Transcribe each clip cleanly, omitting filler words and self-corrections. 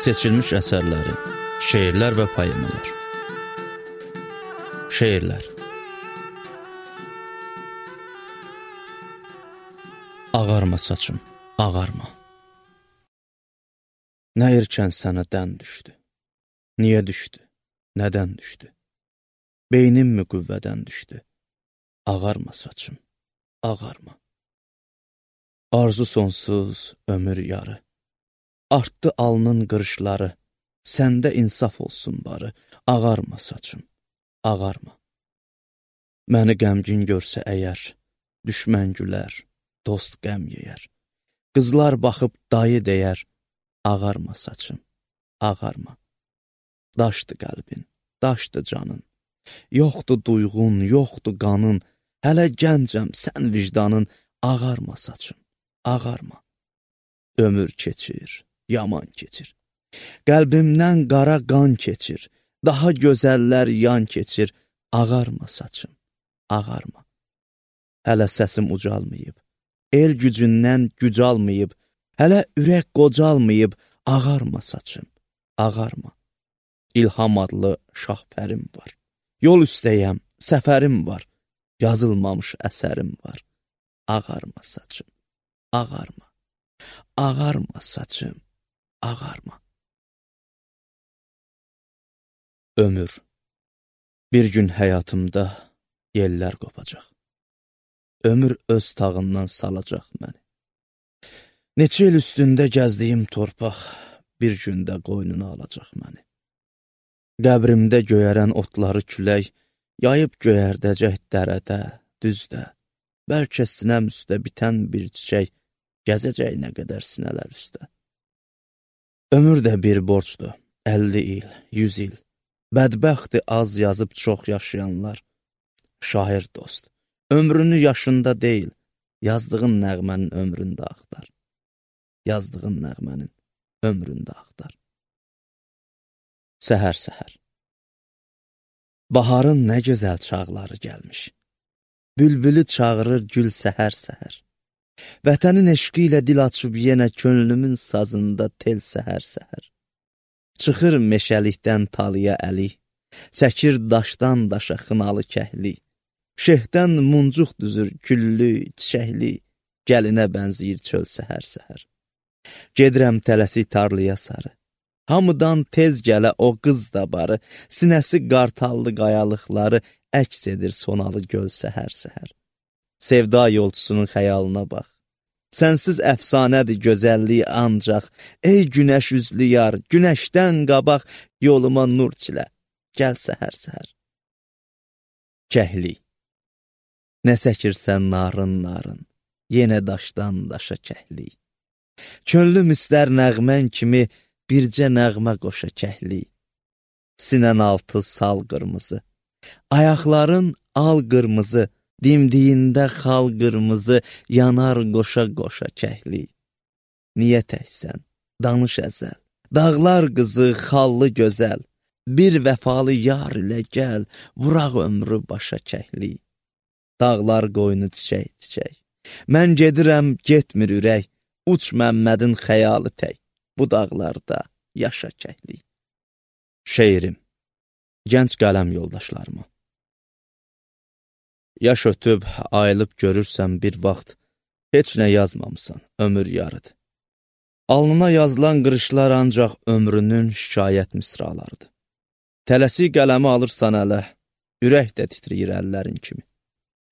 Seçilmiş əsərləri, şeirlər və poemalar. Şeirlər. Ağarma saçım, ağarma. Nə erkən sənə dən düşdü? Niyə düşdü? Nədən düşdü? Beynim mi qüvvədən düşdü? Ağarma saçım, ağarma. Arzu sonsuz, ömür yarı. Artdı alnın qırışları, səndə insaf olsun barı. Ağarma saçım, ağarma. Məni qəmgin görsə əgər, düşmən gülər, dost qəm yeyər. Qızlar baxıb dayı deyər, ağarma saçım, ağarma. Daşdı qəlbin, daşdı canın. Yoxdu duyğun, yoxdu qanın. Hələ gəncəm, sən vicdanın. Ağarma saçım, ağarma. Ömür keçir, yaman keçir. Qəlbimdən qara qan keçir. Daha gözəllər yan keçir. Ağarma saçım, ağarma. Hələ səsim ucalmayıb, el gücündən güc almayıb, hələ ürək qocalmayıb. Ağarma saçım, ağarma. İlham adlı şahpərim var. Yol üstəyəm, səfərim var. Yazılmamış əsərim var. Ağarma saçım, ağarma. Ağarma saçım, ağarma. Ömür. Bir gün həyatımda yellər qopacaq. Ömür öz tağından salacaq məni. Neçə il üstündə gəzdiyim torpaq bir gündə qoynuna alacaq məni. Qəbrimdə göyərən otları külək yayıb göyərdəcək dərədə, düzdə. Bəlkə sinəm üstə bitən bir çiçək gəzəcək nə qədər sinələr üstə. Ömür də bir borcdur, 50 il, 100 il. Bədbəxti az yazıb çox yaşayanlar. Şair dost, ömrünü yaşında deyil, yazdığın nəğmənin ömründə axtar. Yazdığın nəğmənin ömründə axtar. Səhər-səhər. Baharın nə gözəl çağları gəlmiş. Bülbülü çağırır gül səhər-səhər. Vətənin eşqi ilə dil açıb yenə könlümün sazında tel səhər-səhər. Çıxır meşəlikdən talıya əli, çəkir daşdan daşa xınalı kəhli. Şehdən muncuq düzür güllü, çiçəkli, gəlinə bənziyir çöl səhər-səhər. Gedirəm tələsi tarlaya sarı. Hamıdan tez gələ o qız da barı, sinəsi qartallı qayalıqları əks edir sonalı göl səhər-səhər. Sevda yolçusunun xəyalına bax. Sənsiz əfsanədir gözəlliyi ancaq, ey günəş üzlü yar, günəşdən qabaq yoluma nur çilə, gəl səhər-səhər. Kəhli. Nə səkirsən narın-narın, yenə daşdan daşa kəhli. Könlüm istər nəğmən kimi, bircə nəğmə qoşa kəhli. Sinən altı sal qırmızı, ayaqların al qırmızı, dimdiyində xal qırmızı, yanar qoşa-qoşa kəhli. Niyə təksən, danış əzəl, dağlar qızı, xallı gözəl, bir vəfalı yar ilə gəl, vuraq ömrü başa kəhli. Dağlar qoynu çiçək-çiçək, mən gedirəm, getmir ürək, uç Məmmədin xəyalı tək. Bu dağlarda yaşa kəhli. Şeirim. Gənc qələm yoldaşlarıma. Yaş ötüb, ayılıb görürsən bir vaxt, heç nə yazmamısan, ömür yarıdır. Alnına yazılan qırışlar ancaq ömrünün şikayət misralarıdır. Tələsi qələmi alırsan ələ, ürək də titriyir əllərin kimi.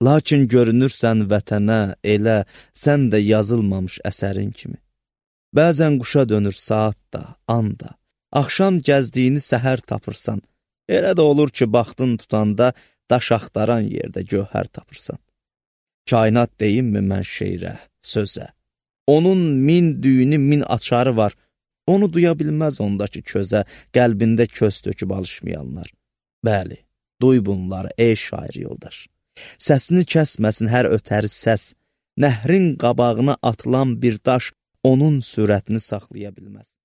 Lakin görünürsən vətənə, elə, sən də yazılmamış əsərin kimi. Bəzən quşa dönür saat da, an da. Axşam gəzdiyini səhər tapırsan. Elə də olur ki, baxdın tutanda daş axtaran yerdə gövhər tapırsan. Kainat deyimmi mən şeirə, sözə? Onun min düyünü, min açarı var. Onu duya bilməz ondakı közə, qəlbində köz töküb alışmayanlar. Bəli, duy bunları, ey şair yoldaş. Səsini kəsməsin hər ötəri səs. Nəhrin qabağına atılan bir daş onun sürətini saxlaya bilməz.